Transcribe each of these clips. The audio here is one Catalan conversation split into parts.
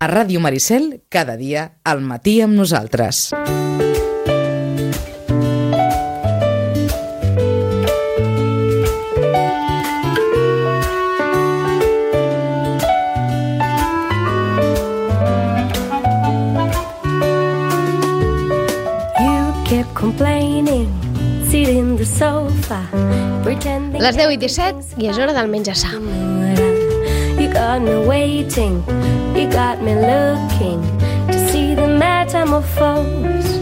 A Ràdio Maricel, cada dia, al matí amb nosaltres. Les 10:17 i és hora del menjar-sa. You got me waiting, you got me looking to see the metamorphose.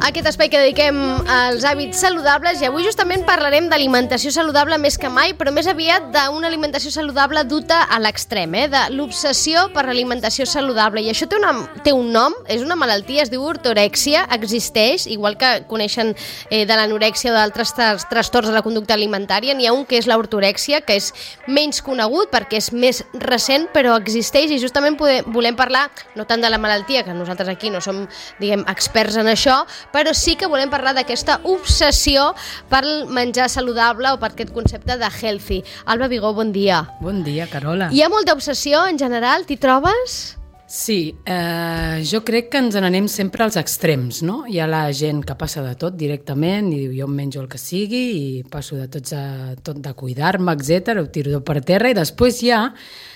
Aquest espai que dediquem als hàbits saludables, i avui justament parlarem d'alimentació saludable més que mai, però més aviat d'una alimentació saludable duta a l'extrem, de l'obsessió per l'alimentació saludable. I això té un nom, és una malaltia, es diu ortorèxia, existeix, igual que coneixen de l'anorèxia o d'altres trastorns de la conducta alimentària. N'hi ha un que és l'ortorèxia, que és menys conegut perquè és més recent, però existeix, i justament volem parlar no tant de la malaltia, que nosaltres aquí no som, diguem, experts en això, però sí que volem parlar d'aquesta obsessió pel menjar saludable o per aquest concepte de healthy. Alba Vigó, bon dia. Bon dia, Carola. Hi ha molta obsessió en general, t'hi trobes? Sí, jo crec que ens n'anem sempre als extrems, no? Hi ha la gent que passa de tot directament i diu jo em menjo el que sigui i passo de tot de cuidar-me, etc. Ho tiro per terra, i després hi ha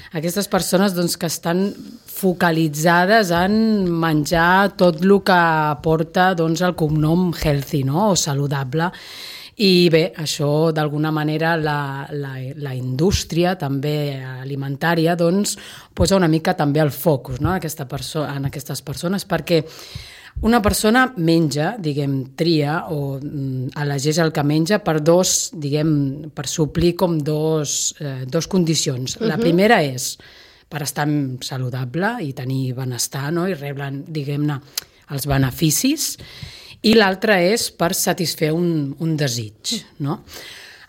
aquestes persones doncs, que estan focalitzades en menjar tot el que porta doncs, el cognom healthy, no? O saludable. I bé, això d'alguna manera la indústria també alimentària doncs, posa una mica també el focus, no? en aquestes persones, perquè una persona menja, diguem, tria o elegeix el que menja per per suplir com dos condicions. La primera és per estar saludable i tenir benestar, no? I rebre, diguem-ne, els beneficis, i l'altra és per satisfer un desig, no?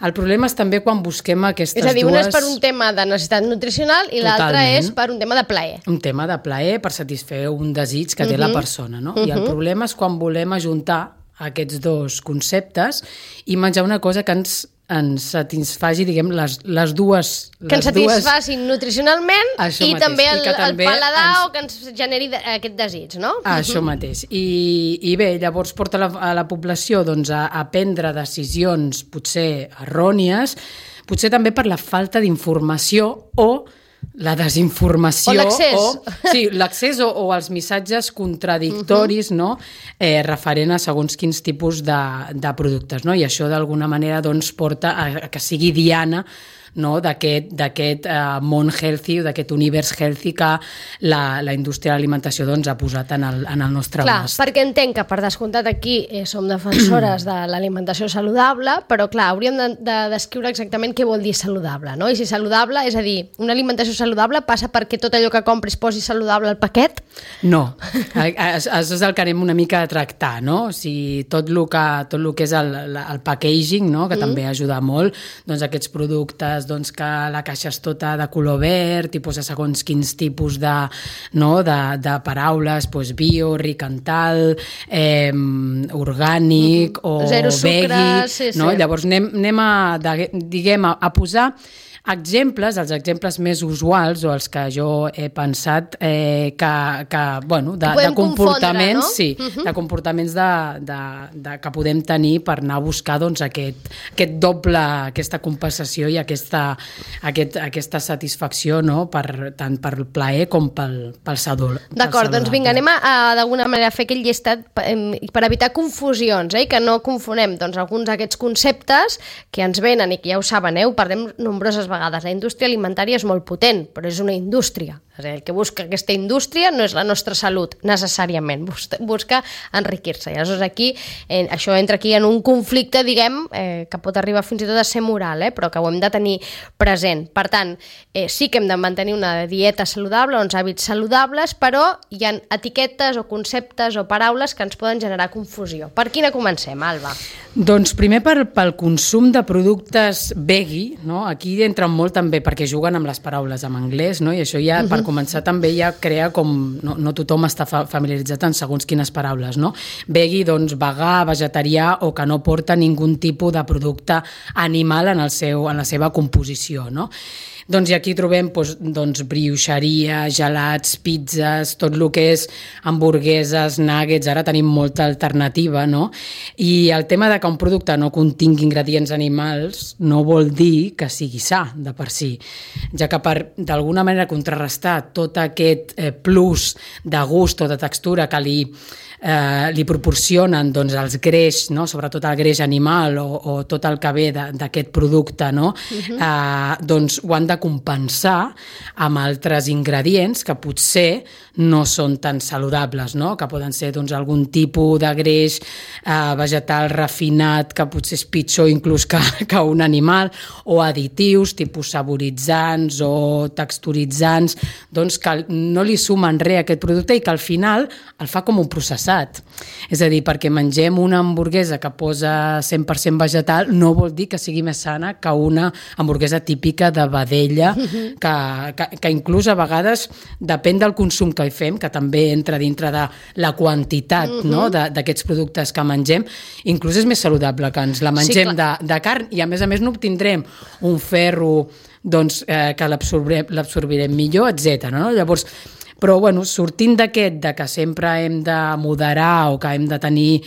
El problema és també quan busquem aquestes dues... És a dir, una és per un tema de necessitat nutricional i l'altra és per un tema de plaer. Un tema de plaer per satisfer un desig que té la persona, no? I el problema és quan volem ajuntar aquests dos conceptes i menjar una cosa que ens satisfaci, diguem, les dues... Que ens satisfacin nutricionalment i també el paladar o que ens generi aquest desig, no? Això mateix. I bé, llavors porta a la població doncs, a prendre decisions potser errònies, potser també per la falta d'informació o la desinformació... O l'accés. Sí, l'accés o els missatges contradictoris, no? Referent a segons quins tipus de productes, no? I això d'alguna manera doncs, porta a que sigui diana, no? d'aquest món healthy o d'aquest univers healthy que la indústria de l'alimentació doncs, ha posat en el nostre abast. Clar, perquè entenc que per descomptat aquí som defensores de l'alimentació saludable, però clar, hauríem de descriure exactament què vol dir saludable, no? I si saludable, és a dir, una alimentació saludable passa perquè tot allò que compris posi saludable al paquet? No, això és el que anem una mica a tractar, no? O sigui, tot el que és el packaging, no? Que també ajuda molt, doncs aquests productes doncs, que la caixa és tota de color verd i posa segons quins tipus de paraules, doncs bio, ric en tal, orgànic o zero sucre, veggie, no? Llavors anem a posar exemples, els exemples més usuals o els que jo he pensat de comportaments, no? Sí, de comportaments que podem tenir per anar a buscar doncs, aquest doble, aquesta compensació i aquesta satisfacció, no? Tant per plaer com pel saludable. D'acord, doncs vinga, anem a d'alguna manera a fer aquell llistat per evitar confusions, i que no confonem doncs, alguns d'aquests conceptes que ens venen i que ja ho saben, ho parlem nombroses vegades. La indústria alimentària és molt potent, però és una indústria. El que busca aquesta indústria no és la nostra salut, necessàriament. Busca enriquir-se. I aleshores aquí, això entra aquí en un conflicte, diguem, que pot arribar fins i tot a ser moral, però que ho hem de tenir present. Per tant, sí que hem de mantenir una dieta saludable, uns hàbits saludables, però hi ha etiquetes o conceptes o paraules que ens poden generar confusió. Per quina comencem, Alba? Doncs primer pel consum de productes veggie, no? Aquí entren molt també perquè juguen amb les paraules en anglès, no? I això ja per començar també ja crea com... No tothom està familiaritzat en segons quines paraules, no? Veggie, doncs, vegà, vegetarià o que no porta ningun tipus de producte animal en la seva composició, no? Doncs i aquí trobem brioixeria, gelats, pizzas, tot el que és hamburgueses, nuggets, ara tenim molta alternativa, no? I el tema de que un producte no contingui ingredients animals no vol dir que sigui sa de per si, ja que per d'alguna manera contrarrestar tot aquest plus de gust o de textura que li proporcionen doncs, els greix, no? Sobretot el greix animal o tot el que ve d'aquest producte, no? Doncs ho han de compensar amb altres ingredients que potser no són tan saludables, no? Que poden ser doncs, algun tipus de greix vegetal refinat que potser és pitjor inclús que un animal, o additius, tipus saboritzants o texturitzants, doncs que no li sumen res a aquest producte i que al final el fa com un processat. És a dir, perquè mengem una hamburguesa que posa 100% vegetal no vol dir que sigui més sana que una hamburguesa típica de vedella, que inclús a vegades depèn del consum que hi fem, que també entra dintre de la quantitat, no? d'aquests productes que mengem, inclús és més saludable que ens la mengem de carn i a més no obtindrem un ferro doncs, que l'absorbirem millor, etc. No? Llavors, però bueno, sortint d'aquest, de que sempre hem de moderar o que hem de tenir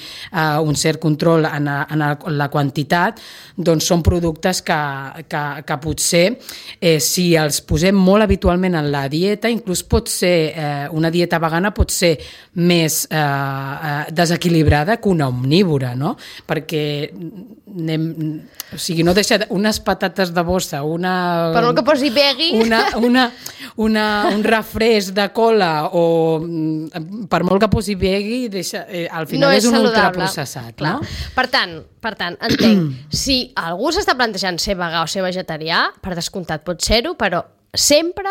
un cert control en la quantitat, doncs són productes que potser si els posem molt habitualment en la dieta, inclús pot ser una dieta vegana pot ser més desequilibrada que una omnívora, no? Perquè o sigui, no deixa unes patates de bossa, per molt que posi veggie, un refresc de cola o per molt que posi veggie, al final no és un ultraprocessat. No? Per tant, entenc, si algú s'està plantejant ser vegà o ser vegetarià, per descomptat pot ser-ho, però sempre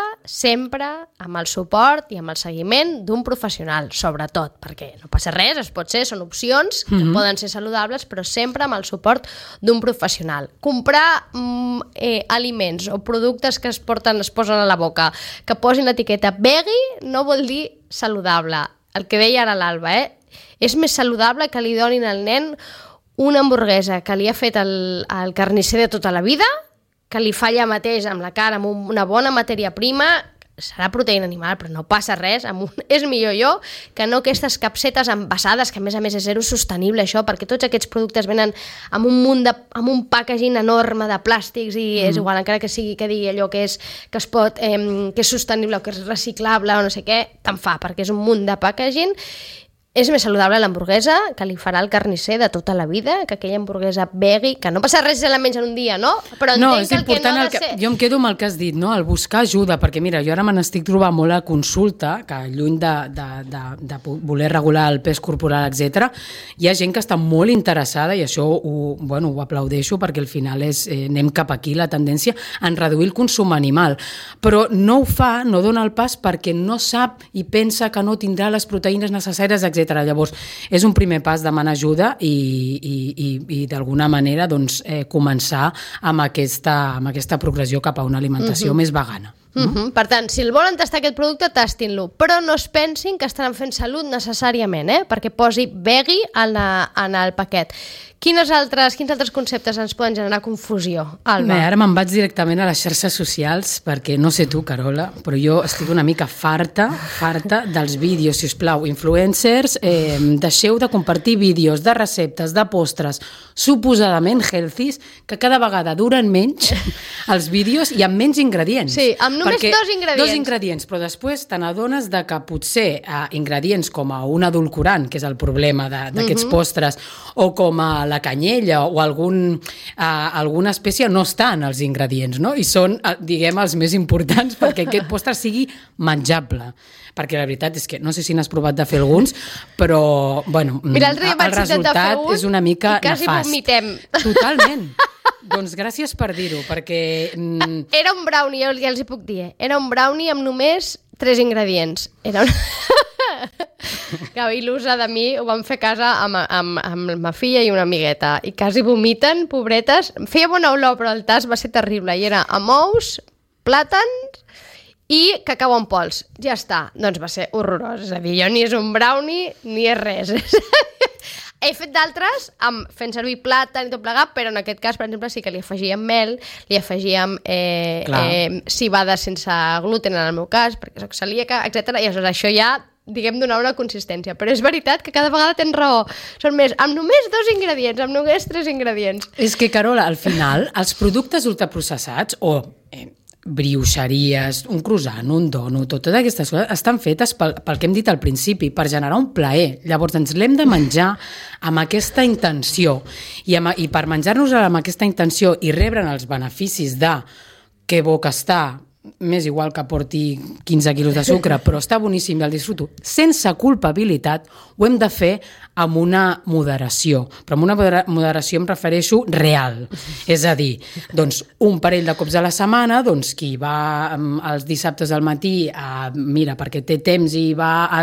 amb el suport i amb el seguiment d'un professional, sobretot, perquè no passa res, es pot ser, són opcions que poden ser saludables, però sempre amb el suport d'un professional. Comprar aliments o productes que es posen a la boca, que posin l'etiqueta veggie, no vol dir saludable. El que deia ara l'Alba, és més saludable que li donin al nen una hamburguesa que li ha fet el carnisser de tota la vida, que li fa allà mateix amb la cara, amb una bona matèria prima, serà proteïna animal, però no passa res, és millor que no aquestes capsetes envasades, que a més és zero sostenible això, perquè tots aquests productes venen amb un packaging enorme de plàstics i és igual, encara que sigui que digui allò que és sostenible o que és reciclable o no sé què, te'n fa, perquè és un munt de packaging. És més saludable l'hamburguesa que li farà el carnisser de tota la vida, que aquella hamburguesa veggie, que no passa res si la menja un dia, no? Però entenc que el que no ha de ser... Jo em quedo amb el que has dit, no? El buscar ajuda, perquè mira, jo ara me n'estic trobant molt a consulta, que lluny de voler regular el pes corporal, etc., hi ha gent que està molt interessada, i això ho aplaudeixo, perquè al final anem cap aquí, la tendència en reduir el consum animal. Però no ho fa, no dona el pas, perquè no sap i pensa que no tindrà les proteïnes necessàries, etc. Llavors, és un primer pas demanar ajuda i d'alguna manera doncs, començar amb aquesta progressió cap a una alimentació més vegana. Per tant, si el volen tastar aquest producte, tastin-lo, però no es pensin que estaran fent salut necessàriament, perquè posi veggie en el paquet. Quins altres conceptes ens poden generar confusió, Alba? Ara me'n vaig directament a les xarxes socials, perquè no sé tu, Carola, però jo estic una mica farta dels vídeos, si us plau, influencers, deixeu de compartir vídeos de receptes, de postres, suposadament healthies, que cada vegada duren menys els vídeos i amb menys ingredients. Sí, amb només dos ingredients. Dos ingredients, però després te n'adones de que potser ingredients com un edulcorant, que és el problema d'aquests postres, o com a la canyella o alguna espècie no estan als ingredients, no? I són, diguem, els més importants perquè aquest postre sigui menjable. Perquè la veritat és que no sé si n'has provat de fer alguns, però bueno, mira, el resultat és una mica nefast. I quasi vomitem. Totalment. Doncs gràcies per dir-ho, perquè... Era un brownie, ja els hi puc dir. Era un brownie amb només 3 ingredients. Era un... Que il·lusa de mi, ho vam fer a casa amb ma filla i una amigueta, i quasi vomiten, pobretes. Feia bona olor, però el tast va ser terrible, i era amb ous, plàtans i cacau en pols. Ja està, doncs va ser horrorós. És a dir, jo ni és un brownie ni és res. He fet d'altres fent servir plàtan i tot plegat, però en aquest cas, per exemple, sí que li afegíem mel, li afegíem civada sense gluten en el meu cas, perquè soc celíaca, etc. I aleshores això ja, diguem, donar una consistència. Però és veritat que cada vegada tens raó. Són més, amb només 2 ingredients, amb només 3 ingredients. És que, Carola, al final, els productes ultraprocessats o brioixeries, un croissant, un donut, totes aquestes coses estan fetes pel que hem dit al principi, per generar un plaer. Llavors ens l'hem de menjar amb aquesta intenció i per menjar-nos amb aquesta intenció i rebre'n els beneficis de que bo que està, m'és igual que porti 15 quilos de sucre, però està boníssim i el disfruto, sense culpabilitat, ho hem de fer amb una moderació. Però amb una moderació em refereixo real. És a dir, doncs, un parell de cops a la setmana, doncs, qui va els dissabtes al matí, mira, perquè té temps i va a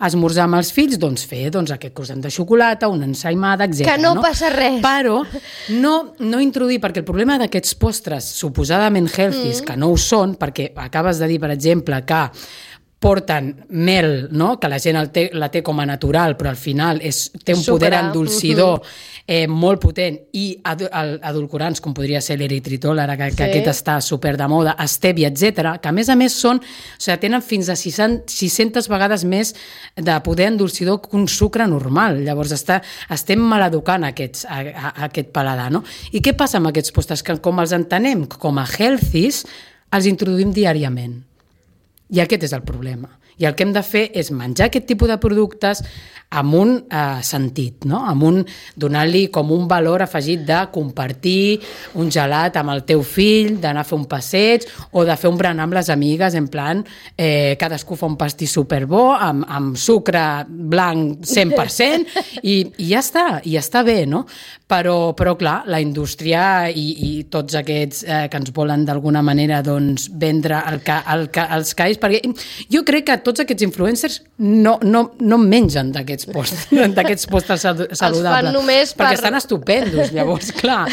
esmorzar amb els fills, doncs fer aquest croissant de xocolata, una ensaïmada, etc. Que no passa res. Però no introduir, perquè el problema d'aquests postres suposadament healthy, que no ho són, perquè acabes de dir, per exemple, que porten mel, no? Que la gent la té com a natural, però al final té un poder endolcidor molt potent, i edulcorants, com podria ser l'eritritol, ara que aquest està super de moda, stevia, etc., que a més tenen fins a 600 vegades més de poder endolcidor que un sucre normal. Llavors estem maleducant aquest paladar, no? I què passa amb aquests postres? Que com els entenem com a healthies, els introduïm diàriament. I aquest és el problema. I el que hem de fer és menjar aquest tipus de productes amb un sentit, no? Donant-li com un valor afegit de compartir un gelat amb el teu fill, d'anar a fer un passeig o de fer un berenar amb les amigues, en plan, cadascú fa un pastís superbo amb sucre blanc 100% i ja està bé, no? Però clar, la indústria i tots aquests que ens volen d'alguna manera vendre els cais, perquè jo crec que tots aquests influencers no mengen d'aquests postres saludables. Els fan només perquè estan estupendos, llavors, clar.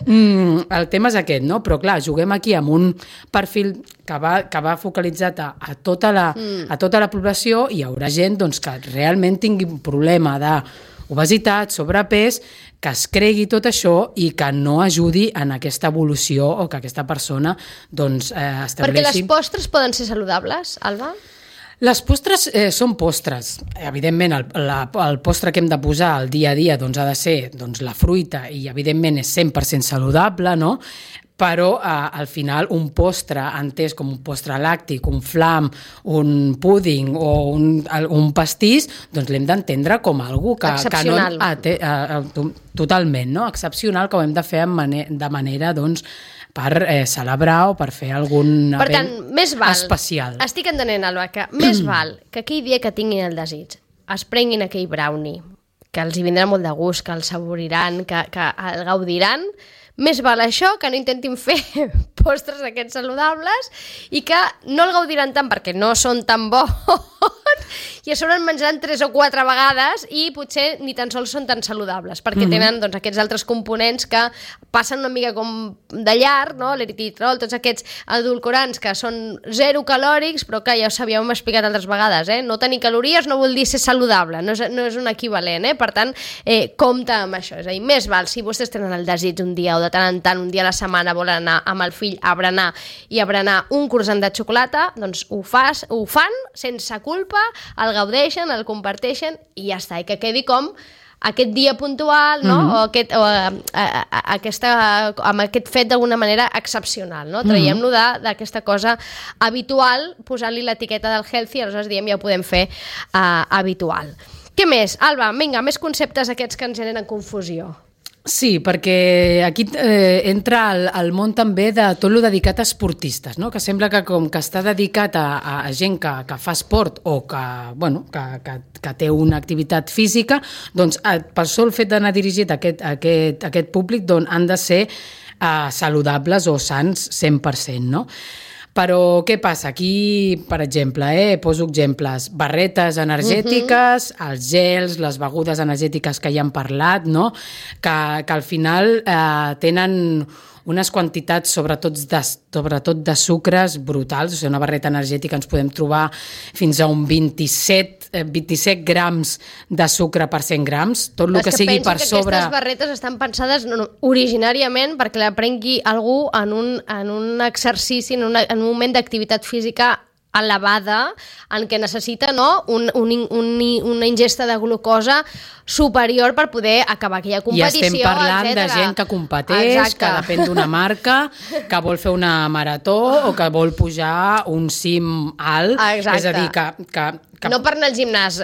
El tema és aquest, no? Però clar, juguem aquí amb un perfil que va focalitzat a tota la població, i hi haurà gent que realment tingui un problema d'obesitat, sobrepès, que es cregui tot això i que no ajudi en aquesta evolució o que aquesta persona estableixi... Perquè les postres poden ser saludables, Alba? Les postres són postres. Evidentment, el postre que hem de posar al dia a dia ha de ser la fruita, i evidentment és 100% saludable, no? Però al final un postre entès com un postre làctic, un flam, un púding o un pastís, l'hem d'entendre com algú que excepcional. Totalment, no? Excepcional, que ho hem de fer de manera per celebrar o per fer algun event especial. Per tant, més val, estic entenent, Alba, que més val que aquell dia que tinguin el desig es prenguin aquell brownie, que els hi vindrà molt de gust, que el saboriran, que el gaudiran. Més val això que no intentin fer postres d'aquests saludables i que no el gaudiran tant perquè no són tan bons i a sobre en menjaran 3 o 4 vegades i potser ni tan sols són tan saludables perquè tenen aquests altres components que passen una mica com de llarg, no? L'eritritol, tots aquests edulcorants que són 0 calòrics, però clar, ja us havíem explicat altres vegades, no tenir calories no vol dir ser saludable, no és un equivalent, per tant, compte amb això, és a dir, més val, si vostès tenen el desig un dia o de tant en tant, un dia a la setmana volen anar amb el fill a berenar un croissant de xocolata, doncs ho fan sense culpa, el gaudeixen, el comparteixen i ja està, i que quedi com aquest dia puntual, no? Amb aquest fet d'alguna manera excepcional, no? Traiem-lo d'aquesta cosa habitual, posant-li l'etiqueta del healthy, aleshores diem ja ho podem fer habitual. Què més? Alba, vinga, més conceptes aquests que ens generen confusió. Sí, perquè aquí entra el món també de tot lo dedicat a esportistes, no? Que sembla que com que està dedicat a gent que fa esport o que té una activitat física, doncs per sol fet d'anar dirigit a aquest públic han de ser saludables o sans 100%, no? Però què passa? Aquí, per exemple, poso exemples, barretes energètiques, els gels, les begudes energètiques que ja hem parlat, no? Que al final tenen unes quantitats, sobretot de sucres brutals, o sigui, una barreta energètica ens podem trobar fins a un 27 grams de sucre per 100 grams, tot el que sigui per sobre... Aquestes barretes estan pensades originàriament perquè la prengui algú en un exercici, en un moment d'activitat física elevada, en què necessita una ingesta de glucosa superior per poder acabar aquella competició, I estem parlant de gent que competeix, que depèn d'una marca, que vol fer una marató o que vol pujar un cim alt. Exacte. És a dir, que no per anar al gimnàs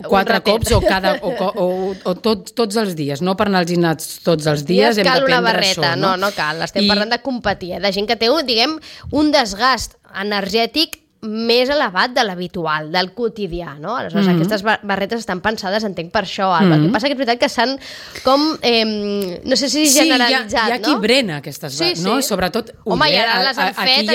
4 cops o tots els dies, no per anar al gimnàs tots els dies hem cal de una prendre barreta, això. No cal, estem parlant de competir, de gent que té, diguem, un desgast energètic més elevat de l'habitual, del quotidià, no? Aleshores, aquestes barretes estan pensades, entenc, per això, Alba. El que passa que és veritat que s'han com, no sé si generalitzat, no? Hi ha qui brena aquestes barretes, no? Sobretot, home, i ara les han fet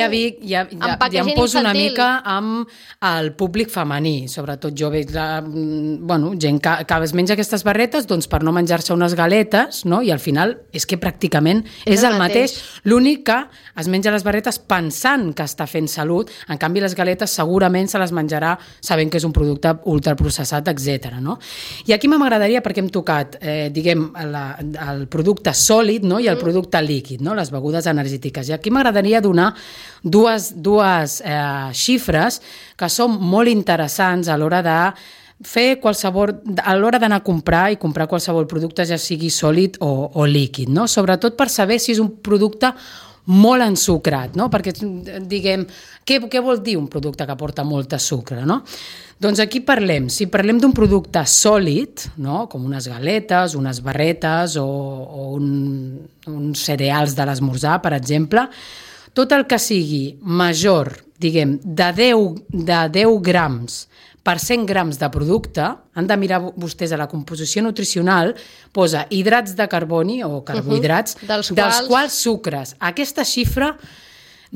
ja em poso una mica amb el públic femení, sobretot jo veig gent que es menja aquestes barretes doncs per no menjar-se unes galetes, no? I al final és que pràcticament és el mateix. L'únic que es menja les barretes pensant que està fent salut, en canvi les galetes segurament se les menjarà sabent que és un producte ultraprocessat, etc. No? I aquí m'agradaria, perquè hem tocat diguem, el producte sòlid, no? I el producte líquid, no? Les begudes energètiques. I aquí m'agradaria donar dues xifres que són molt interessants a l'hora de a l'hora d'anar a comprar i comprar qualsevol producte, ja sigui sòlid o líquid, no? Sobretot per saber si és un producte molt ensucrat, no? Perquè, diguem, què vol dir un producte que porta molt de sucre, no? Doncs aquí si parlem d'un producte sòlid, no? Com unes galetes, unes barretes o uns cereals de l'esmorzar, per exemple, tot el que sigui major, diguem, de 10 grams per 100 grams de producte, han de mirar vostès a la composició nutricional, posa hidrats de carboni o carbohidrats, dels quals sucres. Aquesta xifra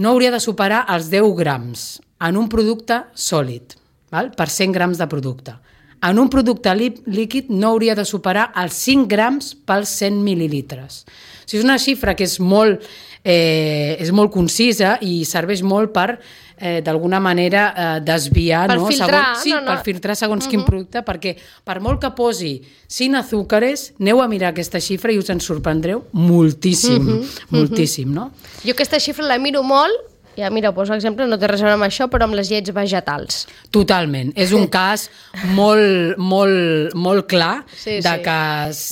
no hauria de superar els 10 grams en un producte sòlid, per 100 grams de producte. En un producte líquid no hauria de superar els 5 grams pels 100 mil·lilitres. O sigui, és una xifra que és molt concisa i serveix molt per d'alguna manera desviar, per filtrar, per filtrar segons quin producte, perquè per molt que posi sin azúcares, aneu a mirar aquesta xifra i us en sorprendreu moltíssim, moltíssim, no? Jo aquesta xifra la miro molt. Ja, mira, poso exemple, no té res a veure amb això, però amb les llets vegetals. Totalment. És un cas molt clar de que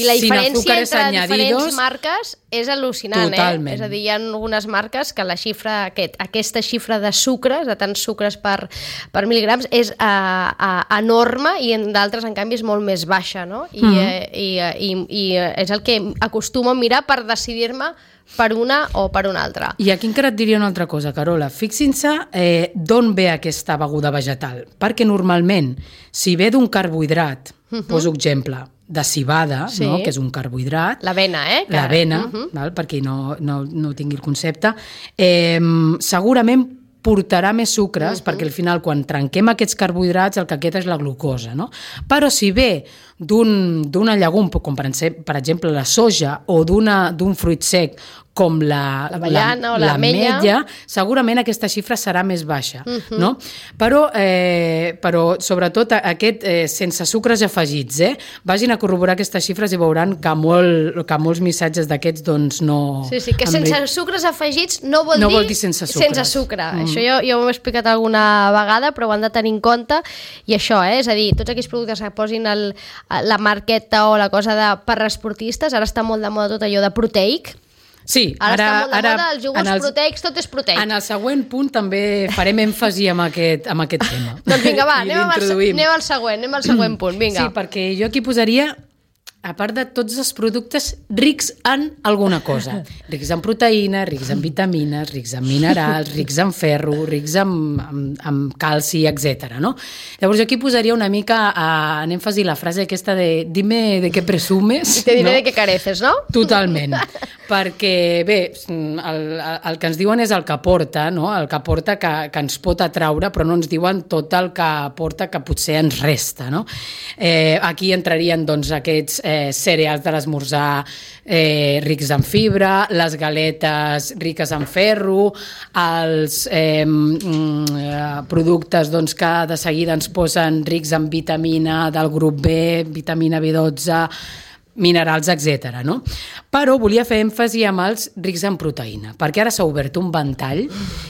i la diferència entre diferents marques és al·lucinant, totalment. És a dir, hi ha algunes marques que la xifra, aquesta xifra de sucres, de tants sucres per mil·ligrams, és enorme i en d'altres, en canvi, és molt més baixa, no? I és el que acostumo a mirar per decidir-me per una o per una altra. I aquí encara et diria una altra cosa, Carola. Fixin-se d'on ve aquesta beguda vegetal. Perquè normalment, si ve d'un carbohidrat, poso exemple, de cibada, no? Que és un carbohidrat. L'avena, L'avena, per qui no tingui el concepte. Segurament portarà més sucres, perquè al final quan trenquem aquests carbohidrats el que queda és la glucosa, no? Però si ve d'una llegum, com per exemple la soja, o d'un fruit sec com l'avellana o l'ametlla, segurament aquesta xifra serà més baixa, no? Però sobretot aquest sense sucres afegits, vagin a corroborar aquestes xifres i veuran que molts missatges d'aquests doncs no... Sí, que sense sucres afegits no vol dir sense sucre. Això jo ho he explicat alguna vegada, però ho han de tenir en compte, i això, és a dir, tots aquells productes que posin la marqueta o la cosa per esportistes, ara està molt de moda tot allò de proteic. Sí, ara està molt de moda, els iogurts proteics, tot és proteic. En el següent punt també farem èmfasi amb aquest tema. Doncs vinga, va, anem al següent punt, vinga. Sí, perquè jo aquí posaria, a part de tots els productes rics en alguna cosa. Rics en proteïna, rics en vitamines, rics en minerals, rics en ferro, rics en calci, etc. No? Llavors jo aquí posaria una mica en èmfasi la frase aquesta de dime de què presumes. I te diré de què careces, no? Totalment. perquè, bé, el que ens diuen és el que porta, no? El que porta que ens pot atraure, però no ens diuen tot el que porta que potser ens resta, no? Aquí entrarien, doncs, aquests cereals de l'esmorzar rics en fibra, les galetes riques en ferro, els productes doncs, que de seguida ens posen rics en vitamina del grup B, vitamina B12, minerals, etc. No? Però volia fer èmfasi amb els rics en proteïna, perquè ara s'ha obert un ventall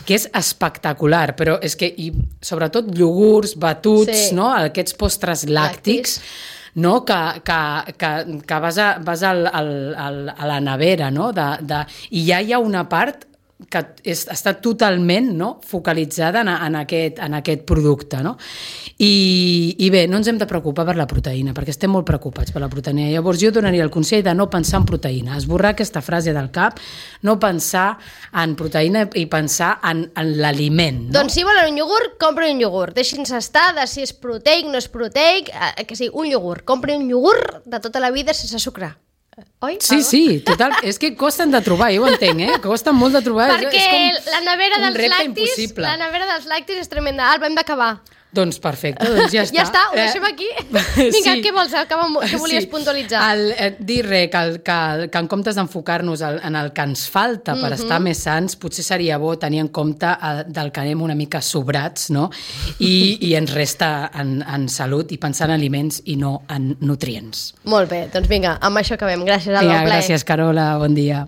que és espectacular, però és que, i sobretot iogurts, batuts, no? Aquests postres làctics, no? que vas a la nevera, no? I ja hi ha una part que està totalment, no? Focalitzada en aquest producte. No? I bé, no ens hem de preocupar per la proteïna, perquè estem molt preocupats per la proteïna. Llavors jo donaria el consell de no pensar en proteïna, esborrar aquesta frase del cap, no pensar en proteïna i pensar en l'aliment. No? Doncs si volen un iogurt, comprin un iogurt. Deixin-se estar de si és proteic, no és proteic, que sí, un iogurt. Comprin un iogurt de tota la vida sense sucre. Oi? Sí, total. És que costen de trobar, jo ho entenc, costen molt de trobar. Perquè és com la nevera un repte impossible. La nevera dels làctics és tremenda. Alba, hem d'acabar. Doncs perfecte, doncs ja està. Ja està, ho deixem aquí? Vinga, què vols? Què volies puntualitzar? Dir que en comptes d'enfocar-nos en el que ens falta per estar més sants, potser seria bo tenir en compte del que anem una mica sobrats, no? I ens resta en salut i pensar en aliments i no en nutrients. Molt bé, doncs vinga, amb això acabem. Gràcies, Alba. Gràcies, Carola, bon dia.